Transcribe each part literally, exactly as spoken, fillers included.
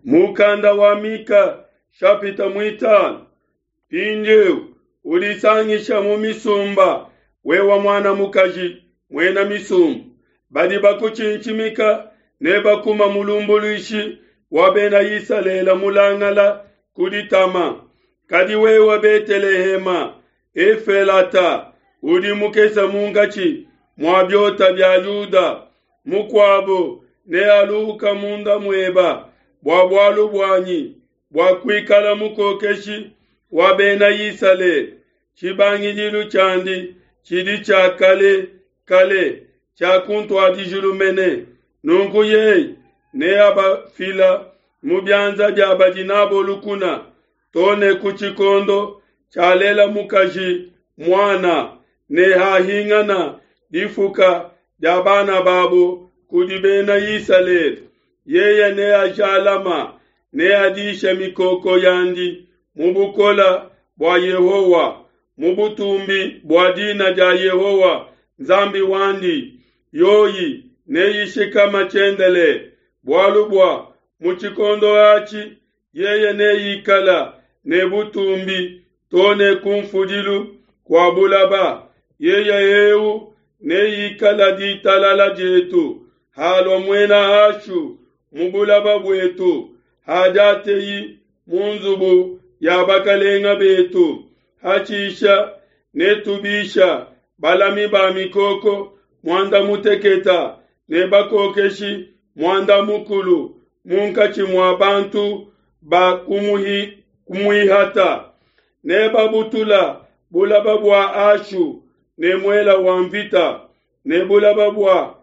Mukanda wa Mika shapita mwitano. Mpindieu udisangisha mu misumba, wewe mwana mukaji muena misumba, badi bakutshintshimika ne bakuma mulumbuluishi wa bena Isalele mulangala ku ditama. Kadi wewe Betelehema Efelata, udi mukese munkatshi mua biota bia Yuda, mukuabo nealuhuka munda mueba bua bualu buanyi, bua kuikala mukokeshi wa Bena Isalele. Tshibangidilu tshiandi tshidi tshia kale kale, tshia kuntuadijilu mene. Nunku yeye neabafila mu bianza bia badi n'abo lukuna, to ne ku tshikondo tshialela mukaji muana, ne hahingana difuka dia bana babo kudi Bena Isalele. Yeye neajalama, neadishe mikoko yandi mu bukole bua Yehowa, mu butumbi bua dina dia Yehowa Nzambi wandi. Yoyi neyishikama tshiendelele, bualu bua mu tshikondo atshi yeye neikala ne butumbi to ne kunfudilu kua bulaba. Yeye eu neikala ditalala dietu halua muena Ashu mu bulaba buetu, hadiateyi mu nzubu ya bakalenga betu. Hatshisha netubisha balami ba mikoko muanda muteketa ne bakokeshi muanda mukulu munkatshi mua bantu ba kumuihata. Nebabutula bulaba bua Ashu ne muela wa mvita, ne bulaba bua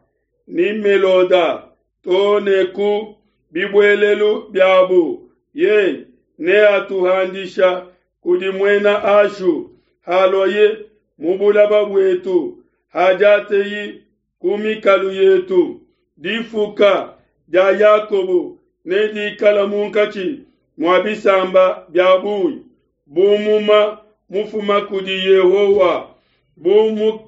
Nimeloda to ne ku bibuelelu biabu. Yeye neatuhandisha kudi muena Ashu haluaye mu bulaba buetu, hadiateyi ku mikalu yetu. Difuka dia Yakobo nedikala munkatshi mua bisamba bia bungi, bu muma mufuma kudi Yehowa, bu, mu,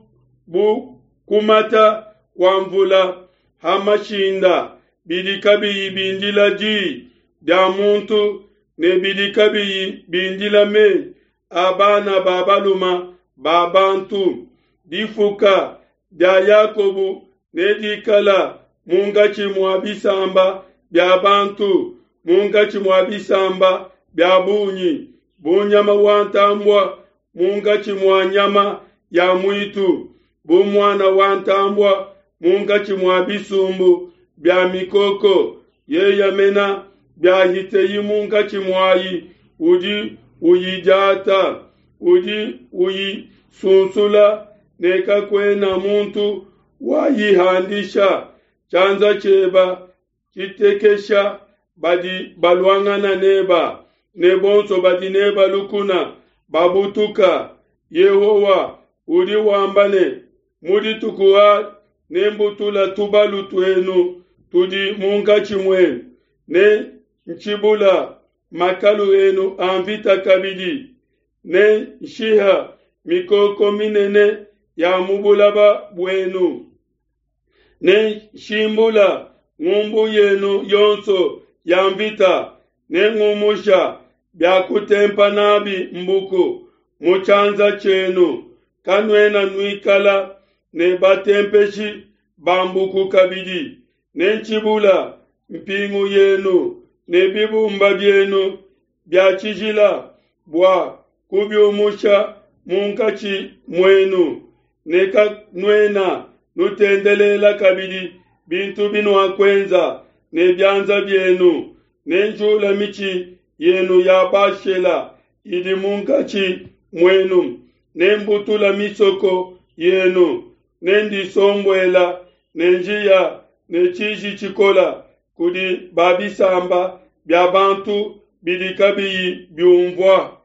bu kumata kua mvula ha mashinda, bidi kabiyi bindila di dia muntu ne bidi kabiyi bindila meyi a bana ba baluma ba bantu. Difuka dia Yakobo nedikala munkatshi mua bisamba bia bantu, munkatshi mua bisamba bia bungi, bu nyama wa ntambua munkatshi mua nyama ya muitu, bu muana wa ntambua munkatshi mua bisumbu bia mikoko. Yeye mena biahiteyi munkatshi muayi, udi uyidiata, udi uyisunsula, ne kakuena muntu wayihandisha. Tshianza tshieba tshitekesha badi baluangana neba, ne bonso badi neba lukuna babutuka. Yehowa udi wamba ne, mu dituku adi nembutula tubalu tuenu tudi munkatshi muenu, ne ntshibula makalu enu a mvita kabidi, ne nshiha mikoko minene ya mu bulaba buenu, ne nshimbula ngumbu yenu yonso ya mvita, ne ngumusha bia kutempa nabi mbuku mu tshianza tshienu. Kanuena nuikala ne batempeshi ba mbuku kabidi, ne ntshibula mpingu yenu ne bibumba bienu bia tshijila bua kubiumusha munkatshi muenu, ne kanuena nutendelela kabidi bintu binuakuenza ne bianza bienu. Ne njula mitshi yenu ya Bashela idi munkatshi muenu, ne mbutula misoko yenu, ne ndisombuela ne njiya ne tshiji tshikola kudi ba bisamba bia bantu bidi kabiyi biumvua.